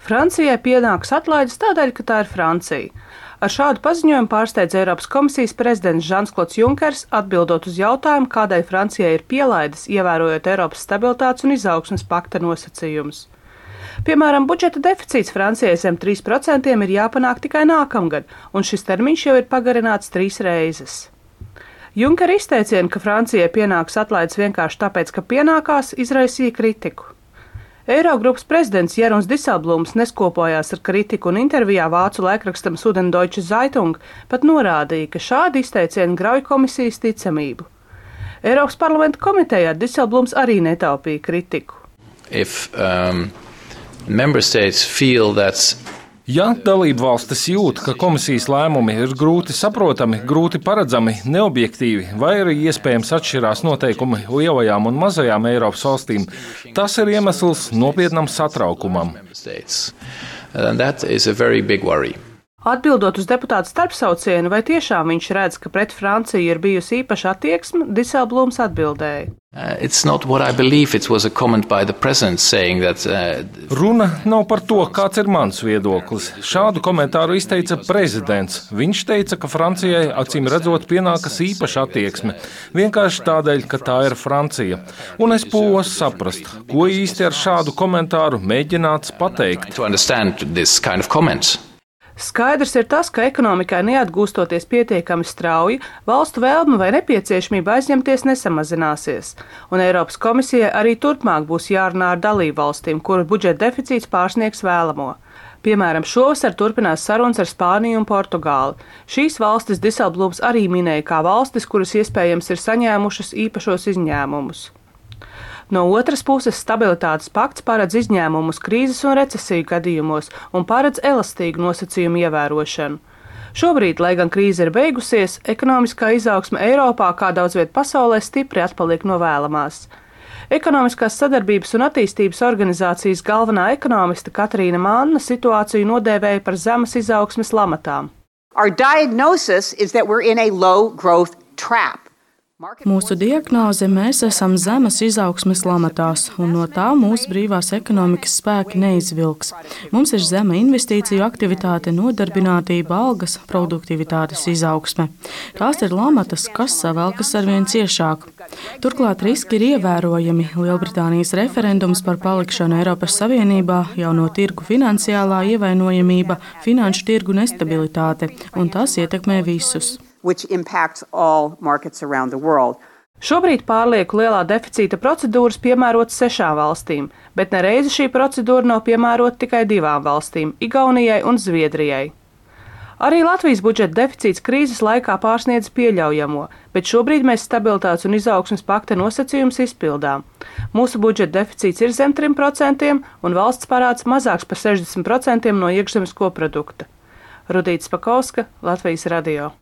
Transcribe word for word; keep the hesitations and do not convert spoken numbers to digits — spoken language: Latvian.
Francijai pienāks atlaides tādēļ, ka tā ir Francija. Ar šādu paziņojumu pārsteidz Eiropas komisijas prezidents Žans-Klods Junkers, atbildot uz jautājumu, kādēļ Francijai ir pielaides, ievērojot Eiropas stabilitātes un izaugsmes pakta nosacījumus. Piemēram, budžeta deficīts Francijai zem trīs procentiem ir jāpanāk tikai nākamgad, un šis termiņš jau ir pagarināts trīs reizes. Junkera izteicieni, ka Francijai pienāks atlaides vienkārši tāpēc, ka pienākās, izraisīja kritiku. Eirogrupas prezidents Jeroens Dijsselbloems neskopojās ar kritiku un intervijā vācu laikrakstam Süddeutsche Zeitung pat norādīja, ka šādi izteicieni grauj komisijas ticamību. Eiropas parlamenta komitejā Dijsselbloems arī netaupīja kritiku. If, um, member states feel that Ja dalību valstis jūt, ka komisijas lēmumi ir grūti saprotami, grūti paredzami, neobjektīvi vai arī iespējams atšķirās noteikumi lielajām un mazajām Eiropas valstīm, tas ir iemesls nopietnam satraukumam. Atbildot uz deputāta starpsaucienu, vai tiešām viņš redz, ka pret Franciju ir bijusi īpaša attieksme, Dijsselbloems atbildēja. That, uh... Runa nav par to, kāds ir mans viedoklis. Šādu komentāru izteica prezidents. Viņš teica, ka Francijai acīm redzot pienākas īpaša attieksme, vienkārši tādēļ, ka tā ir Francija. Un es pūlos saprast, ko īsti ar šādu komentāru mēģināts pateikt. Skaidrs ir tas, ka ekonomikai neatgūstoties pietiekami strauji, valstu vēlme vai nepieciešamība aizņemties nesamazināsies, un Eiropas komisijai arī turpmāk būs jārunā ar dalību valstīm, kuru budžeta deficīts pārsniegs vēlamo. Piemēram, šovasar turpinās sarunas ar Spāniju un Portugāli. Šīs valstis Dijsselbloems arī minēja kā valstis, kuras iespējams ir saņēmušas īpašos izņēmumus. No otras puses, stabilitātes pakts paredz izņēmumus krīzes un recesiju gadījumos un paredz elastīgu nosacījumu ievērošanu. Šobrīd, lai gan krīze ir beigusies, ekonomiskā izaugsme Eiropā kā daudz viet pasaulē stipri atpaliek no vēlamās. Ekonomiskās sadarbības un attīstības organizācijas galvenā ekonomiste Katrīna Manna situāciju nodēvēja par zemes izaugsmes lamatām. Our diagnosis is that we're in a low growth trap. Mūsu diagnoze – mēs esam zemes izaugsmes lamatās, un no tā mūsu brīvās ekonomikas spēki neizvilks. Mums ir zema investīciju aktivitāte, nodarbinātība, algas, produktivitātes izaugsme. Tās ir lamatas, kas savelkas arvien ciešāk. Turklāt riski ir ievērojami. Lielbritānijas referendums par palikšanu Eiropas Savienībā, jauno tirgu finansiālā ievainojamība, finanšu tirgu nestabilitāte, un tas ietekmē visus. Which impacts all markets around the world. Šobrīd pārlieku lielā deficīta procedūras piemērotas sešām valstīm, bet nereizi šī procedūra nav piemērota tikai divām valstīm – Igaunijai un Zviedrijai. Arī Latvijas budžeta deficīts krīzes laikā pārsniedz pieļaujamo, bet šobrīd mēs stabilitātes un izaugsmes pakta nosacījumus izpildām. Mūsu budžeta deficīts ir zem trim procentiem un valsts parāds mazāks par sešdesmit procentiem no iekšzemes koprodukta. Rudīta Spakauska, Latvijas radio.